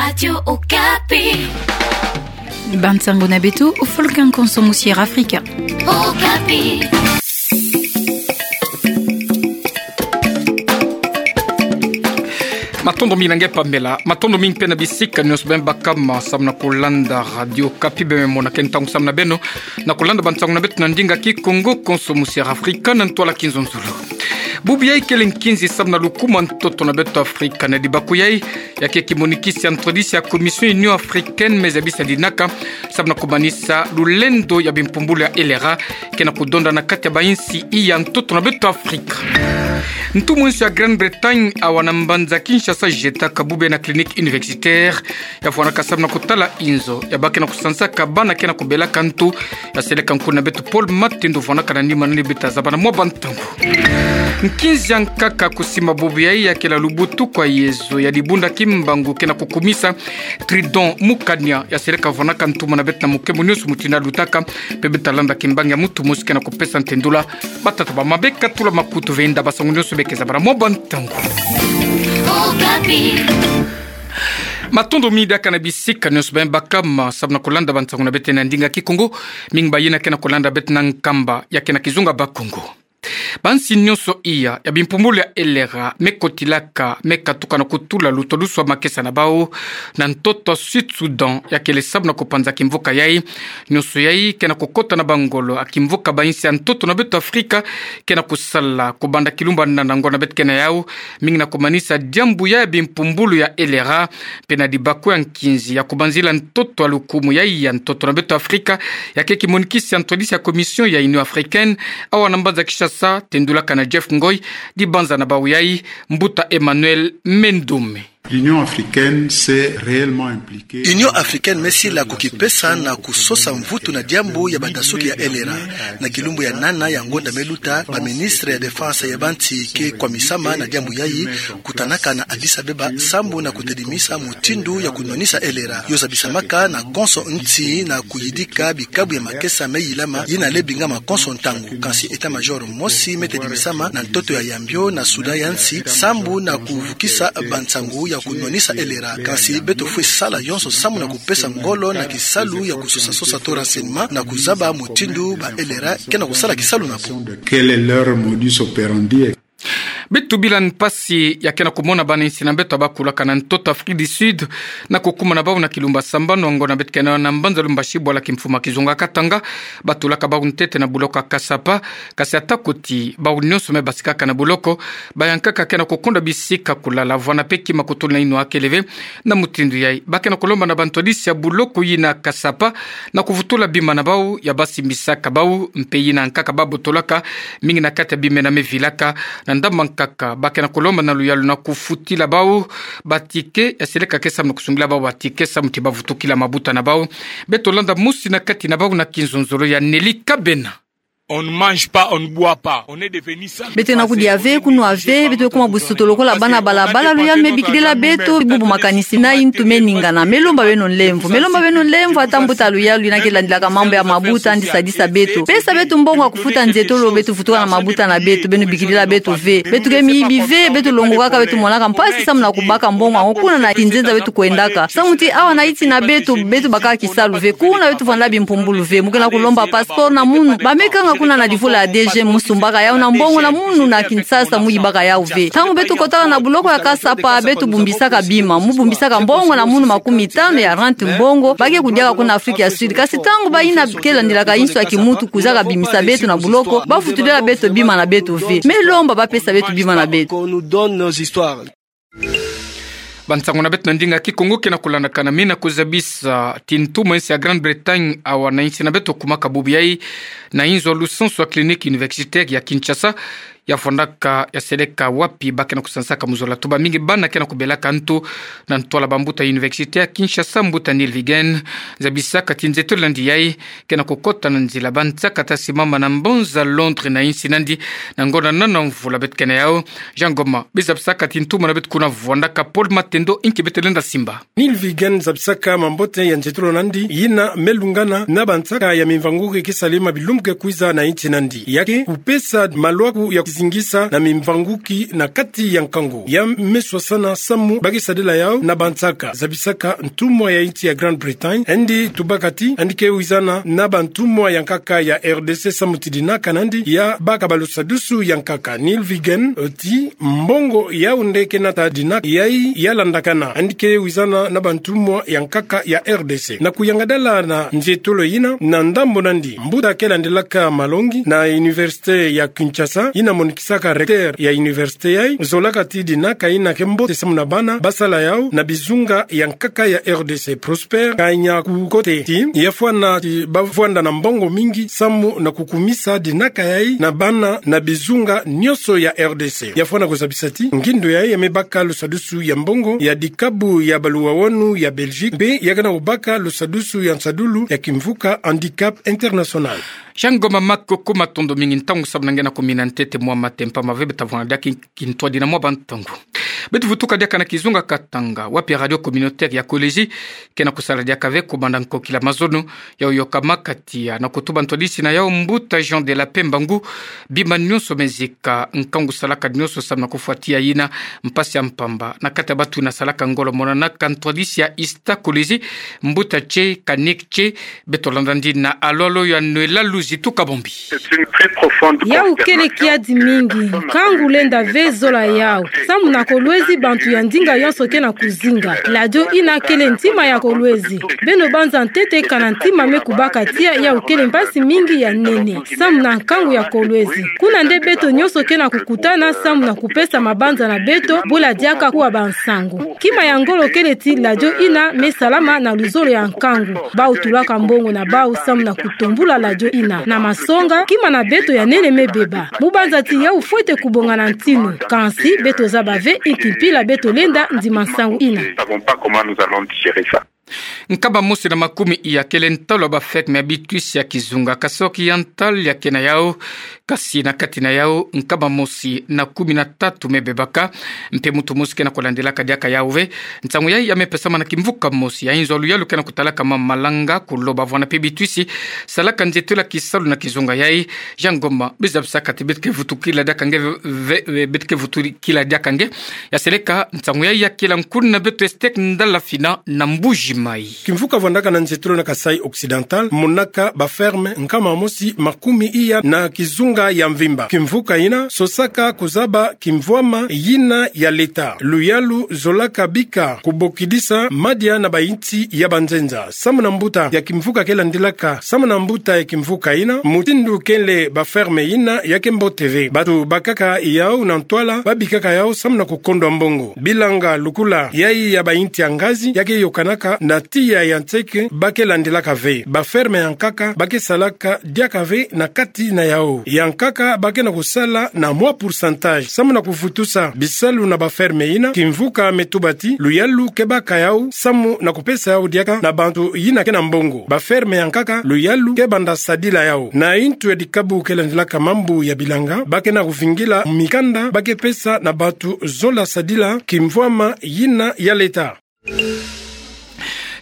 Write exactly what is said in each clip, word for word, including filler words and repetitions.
Radio Okapi. Bansango na beto, o fulu nkonso musi Afrika. Okapi. Matondo mingi na nge Pamela, matondo mingi mpe na bisika nyonso beno baka ma samu na kulanda Radio Okapi, beno mona ke ntangu samu na beno na kulanda bansango na beto na ndinga Kikongo, nkonso musi Afrika na ntwala kinzonzolo. Bubu yai kele nkinzi samu na lukumu a ntoto na beto Afrika. Na dibaku yai, ya ke kimonikisi ya ntwadisi ya Commission Union Africaine me zabisa dinaka samu na kumanisa lulendo ya bimpumbulu ya LRA ke na kudonda na kati ya bainsi ya ntoto na beto Afrika. Ntu mwinso ya Grande-Bretagne awa na mbanza Kinshasa jetaka bubu yai na clinique universitaire ya fwanaka samu na kutala inzo ya ba ke na kusansaka bana ke na kubelaka ntu ya seleka nkuna beto Paul Matendo fwanaka na nima nani bita zaba na mwa bantangu. Nkinzi ya nkaka kusimba bubu yai ya kele lubutuku a yezo ya dibunda kimbangu ke na kukumisa Tridon Mukania ya seleka fwanaka ntumwa na beto na mukembo nyonso mutindu lutaka, mpe bita landa kimbangi ya mutu mosi ke na kupesa ntendula. Batata ba mama beka tula makutu ve nda basango nyonso beke zaba na mwa bantangu. Okapi. Matondo mingi diaka na bisika nyonso beno baka ma samu na kulanda bansango na beto na ndinga Kikongo, mingi bayina ke na kulanda beto na nkamba ya ke na kizunga Bakongo. Bansi nyonso iya ya bimpumbulu ya LRA me kotilaka, me katuka na kutula lutoluswa makesa na bau na ntoto a Sud Soudan ya kele samu na kupanza kimvuka yai. Nyonso yai ke na kukota na bangolo a kimvuka bainsi ya ntoto na beto Afrika ke na kusala kubanda kilumbu a nana ngo na beto ke na yau, mingi na kumanisa diambu ya bimpumbulu ya LRA, mpe na dibaku ya nkinzi ya kubanzila ntoto a lukumu yai ya ntoto na beto Afrika, ya ke kimonikisi ya ntwadisi ya Commission ya Union Africaine awa na mbanza Kinshasa, tendulaka na Jeff Ngoi, dibanza na bau yai, mbuta Emmanuel Mendome. L'Union africaine s'est réellement impliquée. Union africaine me sila kukipesa na kusosa mvutu na diambu ya badasuki ya LRA. Na kilumbu ya nana ya ngonda me luta, baministre ya défense ya bansi ke kwamisama na diambu yai, kutanaka na Addis Abeba, sambu na kutedimisa mutindu ya kunwanisa LRA. Yo zabisamaka na konso nsi na kuyidika bikabu ya makesa me yilama, yina le bingama konso ntangu. Kansi état-major mosi me tedimisama na ntoto ya yambio na Soudan ya nsi, sambu na kuvukisa bansangu ya kunwanisa LRA. Kansi beto fwe sala yonso sambu na kupesa ngolo na kisalu ya kusosa-sosa to renseignement na kuzaba mutindu ba LRA ke na kusala kisalu na bo. Quel est leur modus operandi? Beto bila mpasi ya ke na kumona bana insi na beto bakulaka na ntoto Afrique du Sud na kukuma na bau na kilumbu a sambanu a ngo na beto ke na mbanza Lubumbashi, bwala kimfumu a kizunga Katanga, batulaka bau ntete na boloko ya Kasapa. Kasi ata kuti bau nyonso me basikaka na boloko, bayankaka ke na kukonda bisika kulala, vwanda mpe kima kutula na inwa kele ve. Na mutindu yai, ba ke na kulomba na bantwadisi ya boloko yina Kasapa na kuvutula bima na bau ya basimbisaka bau, mpe yina nkaka babotolaka, mingi na kati ya bima ena me vilaka. Na ndambu nkaka, ba ke na kulomba na luyalu na kufutila bau baticket, ya seleka ke samu na kusungila bau baticket samu ti bavutukila mabuta na bau. Beto landa mosi na kati na bau na kinzonzolo ya Nelly Kabena. On ne mange pas, on ne boit pas. On est devenu sans. Beto ke na kudia ve, kunwa ve, beto kuma busoto lokola bana balabala, luyalu me bikidila beto, bubu makanisi na ntu me ningana. Me lomba beno nlemvo, me lomba beno nlemvo, ata mbuta luyalu yina ke landilaka mambu ya mabuta, andi sadisa beto. Pesa beto mbongo ya kufuta nzietolo, beto vutuka na mabuta na beto, beno bikidila beto ve. Beto ke miyibi ve, beto longokaka, beto monaka mpasi samu na kubaka mbongo yango kuna na kinzenza beto kwendaka. Samu ti awa na insi na beto, beto bakaka kisalu ve, kuna beto vwandaka bimpumbulu ve. Mu ke na kulomba passeport na munu. Ba me kanga kuna na divula ya DG, mu sumbaka yau na mbongo na munu na Kinshasa, mu yibaka yau ve. Ntangu beto kotaka na boloko ya Kasapa, beto bumbisaka bima, mu bumbisaka mbongo na munu makumi tanu ya rand mbongo ba ke kudiaka kuna Afrique ya Sud. Kasi ntangu bayina ke landilaka insu ya kimuntu kuzaka bimisa beto na boloko, bavutulila beto bima na beto ve. Me lomba bapesa beto bima na beto. Qu'on nous donne nos histoires. Bansangu na beto na ndinga Kikongo ke na kulandakana, me na kuzabisa ti ntumwa insi ya Grande-Bretagne awa na insi na beto kumaka bubu yai na inzo lusansu ya clinique universitaire ya Kinshasa, ya vwandaka, ya seleka wapi ba ke na kusansaka mu zola tuba mingi bana ke na kubelaka ntu na ntwala bambuta universitaire ya Kinshasa, mbuta Nilvigen. Zabisaka ti nzietolo nandi yai ke na kukota na nzila ba nsaka ta simama na mbanza Londres na insi nandi, na ngonda nana mvula beto ke na yau. Jean Ngoma, bizabisaka ti ntumwa na beto kuna vwandaka Paul Matendo, inki beto lenda simba. Nilvigen zabisaka mambote ya nzietolo nandi, yina me lungana na bansaka ya mimvangu-ke ke salema bilumbu ke kwiza na insi nandi. Ya ke kupesa malwaku ya zingisa na mimvanguki na kati ya nkangu. Ya me swasana samu ba ke sadila yau na bansaka zabisaka ntumwa ya insi ya Grande-Bretagne, yandi tubaka ti yandi ke wizana na bantumwa ya nkaka ya R D C samu ti dinaka na yandi ya baka balusadusu ya nkaka. Neil Vigan oti mbongo yau nde ke nata dinaka yayi ya landakana, yandi ke wizana na bantumwa ya nkaka ya R D C. Na kuyangadala na nzietolo yina, na ndambo na yandi, mbuta ke landilaka malongi na Université ya Kinshasa, yina monikisaka recteur ya université yayi, zolaka ti dinaka yina ke mbote samu na bana ba sala yau na bizunga ya nkaka ya R D C. Prosper Kanyakukote ti ya fwana ti ba vwanda na mbongo mingi samu na kukumisa dinaka yayi na bana na bizunga nyonso ya R D C. Ya fwana kuzabisa ti ngindu yayi ya me baka lusadusu ya mbongo ya dikabu ya baluwawanu ya Belgique, mpe ya ke na kubaka lusadusu ya nsadulu ya kimvuka Handicap International. Jean Ngoma Makoko, matondo mingi, ntangu samu na nge na kumina ntete mwa matempa mave. Beta vwanga diaka kintwadi na mwa bantangu. Beto vutuka diaka na kizunga Katanga, wapi Radio Communautaire ya Kolwezi ke na kusala diaka ve kubanda nkokila mazono ya uyoka makatia na kutuba ntwadisi na yau mbuta Jean de la Paix Mbangu. Bima nyonso me zika, nkangu salaka nyonso samu na kufwatia yina mpasi ya mpamba na kati ya batu na salaka ngolo monanaka ntwadisi ya Ista Kolwezi, mbuta Che Kanik Che. Beto landa ndi na alolo ya Noëlla Luzitu Kabombi. Yau kele kiadi mingi, nkangu lenda ve zola yau. Samu na Kolwezi bantu ya ndinga yonso ke na kuzinga. Radio yina kele ntima ya Kolwezi. Beno banza ntete kana ntima me kubaka tia yau kele mpasi mingi ya nene samu na nkangu ya Kolwezi. Kuna nde beto nyonso ke na kukutana samu na kupesa mabanza na beto, bula diaka kuwa bansangu. Kima ya ngolo kele ti radio yina me salama na luzolo ya nkangu. Bau tulaka mbongo na bau samu na kutumbula radio yina. Na masonga, kima na beto ya nene me beba. Mu banza ti yau fwete kubongana ntinu. Kansi beto zaba ve inki mpila beto lenda ndima nsangu yina. Nkama mosi na makumi iya kele ntalu ya ba ferme ya bitwisi ya kizunga Kasoki ya ntalu ya ke na yau. Kasi na kati na yau, nkama mosi na kumi na tatu me bebaka, mpe muntu mosi ke na kulandilaka diaka yau ve. Nsangu yayi ya me pesama na kimvuka mosi ya inzo ya luyalu ke na kutalaka ma malanga, kuloba vwanda mpe bitwisi salaka nzietolo ya kisalu na kizunga yayi. Jean Ngoma, bizabisaka ti beto ke vutukila diaka nge ve, ve, beto ke vutukila diaka nge. Ya seleka nsangu yayi ya kila nkuna beto Estek Ndala Fina na Mbuji Mayi. Kimvuka vwandaka na nzietolo na Kasaï Occidental monaka ba ferme nkama mosi makumi iya na kizunga ya mvimba. Kimvuka yina sosaka kuzaba kimvwama yina ya leta. Luyalu zolaka bika kubokidisa madia na ba insi ya banzenza. Samu na mbuta ya kimvuka ke landilaka, samu na mbuta ya kimvuka yina, mutindu kele ba ferme yina ya ke mbote ve. Batu bakaka yau na ntwala, babikaka yau samu na kukondwa mbongo. Bilanga lukula yayi ya ba insi ya ngazi ya ke yokanaka na tiya ya nseke ba ke landilaka ve. Ba ferme ya nkaka ba ke salaka diaka ve na kati na yau. Ya nkaka ba ke na kusala na mwa pourcentage samu na kuvutusa bisalu na ba ferme yina. Kimvuka me tuba ti luyalu ke baka yau samu na kupesa yau diaka na bantu yina ke na mbongo. Ba ferme ya nkaka luyalu ke banda sadila yau. Na intu ya dikabu ke landilaka mambu ya bilanga, ba ke na kuvingila mikanda ba ke pesa na bantu zola sadila kimvwama yina ya leta.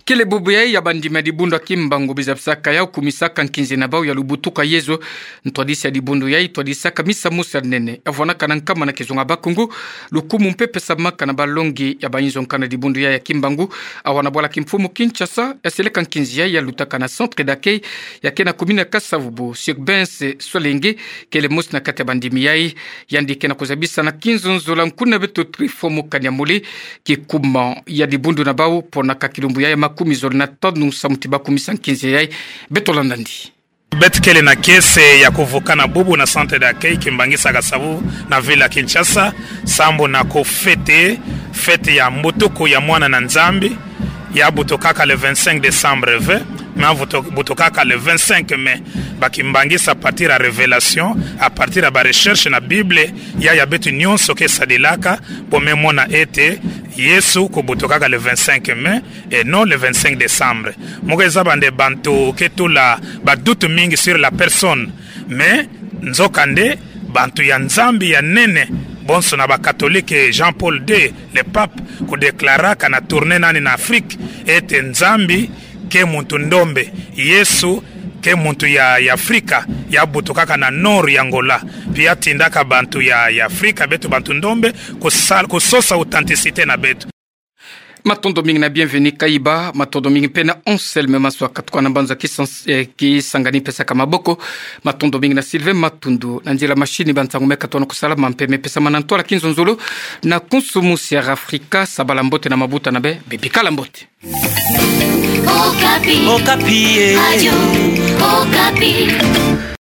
Kele bubu yayi ya bandimi ya dibundu ya Kimbangu bizabisaka yau kumisaka nkinzi na bau ya lubutuka Yezu. Ntwadisi ya dibundu yayi twadisaka misa mosi ya nene ya vwanaka na nkama na kizunga Bakongo. Lukumu mpe pesamaka na balongi ya ba inzo nkanda dibundu yayi ya Kimbangu. Awa na bwala kimfumu Kinshasa, ya seleka nkinzi yayi ya lutaka na centre d'accueil ya ke na commune ya Kasa-Vubu. Sir Bense Solenge kele mosi na kati ya bandimi yayi. Yandi ke na kuzabisa na kinzonzolo nkuna beto Trifo Mukanya Mole kikuma ya dibundu na bau, pona ka kilumbu yayi ya makumi zole na tanu samu ti ba kumisa nkinzi yayi. Beto landa ndi. Beto kele na kiese ya kuvukana bubu na centre d'accueil Kimbanguista Kasa-Vubu na ville ya Kinshasa, sambu na kufêter fête ya mbutuku ya mwana na Nzambi, ya butukaka le vingt-cinq décembre ve, mais butu-, butukaka le vingt-cinq mai. Ba Kimbanguista à partir ya révélation, à partir ya ba recherche na Bible, ya, ya beto nyonso ke sadilaka, bo me mona ete Yesu kubutukaka le vingt-cinq mai, et non le vingt-cinq décembre. Mu ke zaba nde bantu ke tula ba doute mingi sur la personne. Mais, nzokande, bantu ya Nzambi ya nene, bonso na ba catholique, Jean-Paul deux, le pape, kudéclaraka na tournée na ni na Afrique, ete Nzambi ke muntu ndombe, Yesu ke muntu ya, ya Afrika, ya butukaka na nord ya Angola, mpe ya tindaka bantu ya, ya Afrika, beto bantu ndombe, kusa-, kusosa authenticité na beto. Matondo mingi na Bienvenu Kayiba, matondo mingi mpe na Anselme Maswa katuka na mbanza kisans-, eh, kisangani pesaka maboko, matondo mingi na Sylvain Matundu, na nzila machine ba nsangu me katona kusalama mpe me pesamana ntwala kinzonzolo, na kunsu musi ya Afrika, sabala mbote na mabuta na bê, bê bikala mbote. Okapi. Okapi, eh. Radio Okapi.